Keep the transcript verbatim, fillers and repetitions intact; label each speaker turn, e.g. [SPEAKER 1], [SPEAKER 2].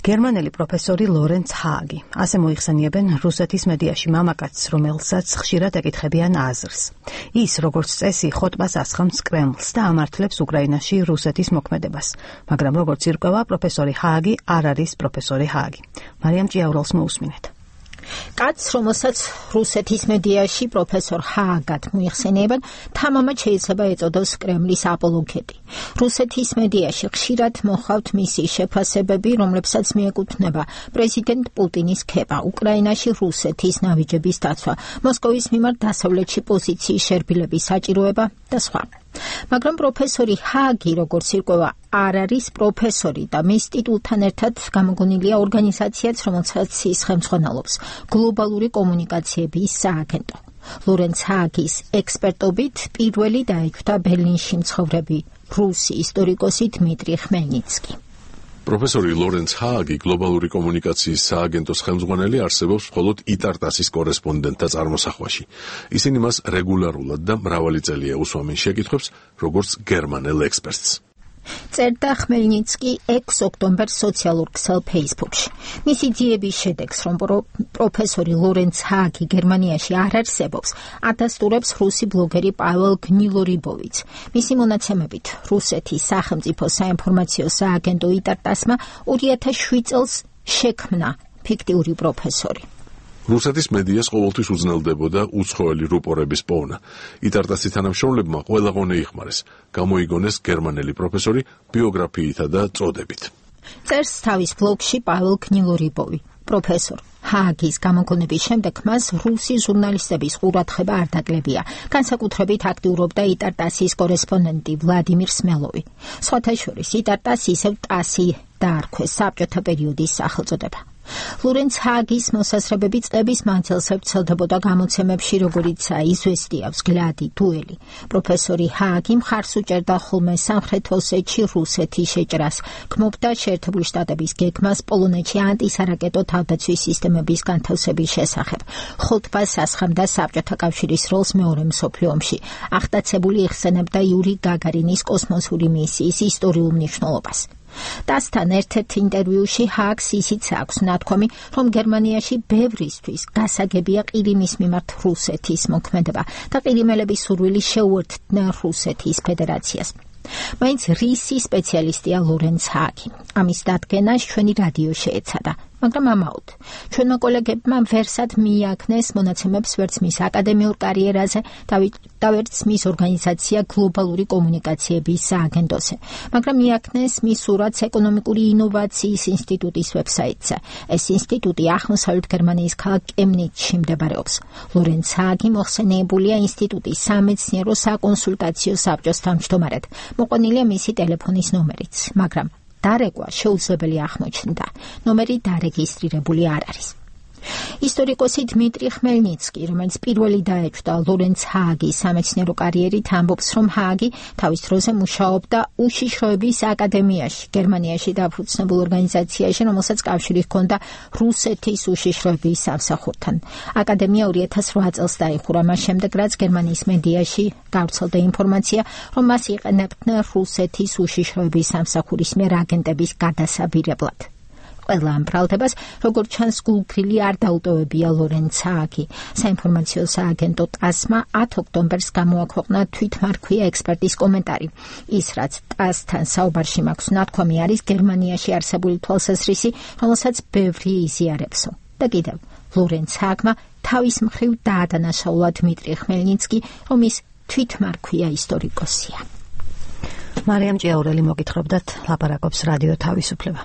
[SPEAKER 1] გერმანელი პროფესორი ლორენც ჰაგი. ასე მოიხსენიებენ რუსეთის მედიაში მამაკაცს, რომელსაც ხშირად ეკითხებიან აზრს. ის, როგორც წესი, ხოტბას ასხამს კრემლს და ამართლებს უკრაინაში რუსეთის მოქმედებას. მაგრამ როგორც ირკვევა, პროფესორი ჰაგი არ არის პროფესორი ჰაგი. მარიამ ჭიაურელს მოусმინეთ.
[SPEAKER 2] კაცს, რომელსაც რუსეთის მედიაში პროფესორ ჰაგად მოიხსენიებენ, თამამად შეიძლება ეწოდოს კრემლის აპოლოგეტი. რუსეთის მედიაში ხშირად მოჰყავთ მისი შეფასებები, რომლებსაც მიეკუთვნება პრეზიდენტ პუტინის ქება, უკრაინაში რუსეთის ნავიჯების დაცვა, მოსკოვის მიმართ დასავლეთში პოზიციის შერბილების საჭიროება და სხვა. მაგრამ პროფესორი ჰაგი, როგორც ირკვევა, არ არის პროფესორი და მის ტიტულთან ერთად გამოგონილია ორგანიზაციაც, რომელსაც ის ხელმძღვანელობს, გლობალური კომუნიკაციების სააგენტო. ლორენც ჰაგის ექსპერტობით პირველი დაიჭვდა ბერლინში მცხოვრები რუსი ისტორიკოსი დმიტრი ხმელნიცკი.
[SPEAKER 3] პროფესორი ლორენც ჰაგი, გლობალური კომუნიკაციის სააგენტოს ხელმძღვანელი, არსებობს მხოლოდ იტარტასის კორესპონდენტთა წარმოსახვაში. ისინი მას რეგულარულად და მრავალი წელია უსვამენ შეკითხვებს, როგორც გერმანელ ექსპერტს.
[SPEAKER 2] წერდა ხმელნიცკი ექვსი ოქტომბერს სოციალურ ქსელ ფეისბუქში. მისი ძიების შედეგს, რომ პროფესორი ლორენც ჰაგი გერმანიაში არ არსებობს, ადასტურებს რუსი ბლოგერი პაվել გნილორიბოვიც. მისი მონაცემებით, რუსეთის სახელმწიფო საინფორმაციო სააგენტო იტარტასმა ორი ათას შვიდ წელს შექმნა ფიქტიური პროფესორი.
[SPEAKER 3] რუსეთის მედიას ყოველთვის უძნელდებოდა უცხოელი რუპორების პოვნა. იტარტასის თანამშრომლებმა ყველა ღონე იხმარეს, გამოიგონეს გერმანელი პროფესორი ბიოგრაფიითა და წოდებით.
[SPEAKER 2] წერს თავის ბლოგში პაվել გნილორიბოვი. პროფესორ ჰაგის გამოგონების შემდეგ მას რუსი ჟურნალისტების ყურადღება არ დაკლებია. განსაკუთრებით აქტიურობდა იტარტასის კორესპონდენტი ვლადიმირ სმელოვი. სხვათა შორის იტარტას ისევ ტასი დაარქვეს, საბჭოთა პერიოდის სახელწოდება. ლორენც ჰაგის მოსაზრებები წლების მანძილზე ვრცელდებოდა გამოცემებში, როგორიცაა „იზვესტია“, „ვზგლადი“, „დუელი“. პროფესორი ჰაგი მხარს უჭერდა ხოლმე სამხრეთ ოსეთში რუსეთის შეჭრას, გმობდა შეერთებული შტატების გეგმას პოლონეთში ანტისარაკეტო თავდაცვის სისტემების განთავსების შესახებ. ხოტბას ასხამდა საბჭოთა კავშირის როლს მეორე მსოფლიო ომში. აღტაცებული იხსენებდა იური გაგარინის კოსმოსური მისიის ისტორიულ მნიშვნელობას. დასთან ერთ-ერთ ინტერვიუში ჰაგს ისიც აქვს ნათქვამი, რომ გერმანიაში ბევრისთვის გასაგებია ყირიმის მიმართ რუსეთის მოქმედება და ყირიმელების სურვილი შეუერთდნენ რუსეთის ფედერაციას. მაინც რისი სპეციალისტია ლორენც ჰაგი. ამის დადგენას ჩვენი რადიო შეეცადა, მაგრამ ამაოდ. ჩვენმა კოლეგებმა ვერსად მიაქნეს მონაცემებს ვერც მის აკადემიურ კარიერაზე და ვერც მის ორგანიზაცია გლობალური კომუნიკაციების სააგენტოზე, მაგრამ მიაქნეს მის სურათს ეკონომიკური ინოვაციის ინსტიტუტის ვებსაიტზე. ეს ინსტიტუტი აღმოსავლეთ გერმანიის ქალაქ კემნიცში მდებარეობს. ლორენც ჰაგი მოხსენიებულია ინსტიტუტის სამეცნიერო საკონსულტაციო საბჭოს თავმჯდომარედ. მოყვანილია მისი ტელეფონის ნომერიც, მაგრამ დარეკვა შეუძლებელი აღმოჩნდა. ნომერი დარეგისტრირებული არ არის. ისტორიკოსი დმიტრი ხმელნიცკი, რომელიც პირველი დაეჭვდა ლორენც ჰაგის სამეცნიერო კარიერით, ამბობს, რომ ჰაგი თავის დროზე მუშაობდა უშიშროების აკადემიაში, გერმანიაში დაფუძნებულ ორგანიზაციაში, რომელსაც კავშირი ჰქონდა რუსეთის უშიშროების სამსახურთან. აკადემია ორი ათას რვა წელს დაიხურა, მას შემდეგ, რაც გერმანიის მედიაში გავრცელდა ინფორმაცია, რომ მას იყენებდნენ რუსეთის უშიშროების სამსახურის მიერ აგენტების გადასაბირებლად. ყველა ამ ბრალდებას, როგორც ჩანს, გულგრილი არ დაუტოვებია ლორენც ჰაგი. საინფორმაციო სააგენტო ტასმა ათი ოქტომბერს გამოაქვეყნა თვითმარქვია ექსპერტის კომენტარი. ის, რაც ტასთან საუბარში მაქვს ნათქვამი, არის გერმანიაში არსებული თვალსაზრისი, რომელსაც ბევრი იზიარებსო. და კიდევ, ლორენც ჰაგმა თავის მხრივ დაადანაშაულა დმიტრი ხმელნიცკი, რომ ის თვითმარქვია ისტორიკოსია.
[SPEAKER 1] მარიამ ჭიაურელი მოგითხრობდათ, ლაპარაკობს რადიო თავისუფლება.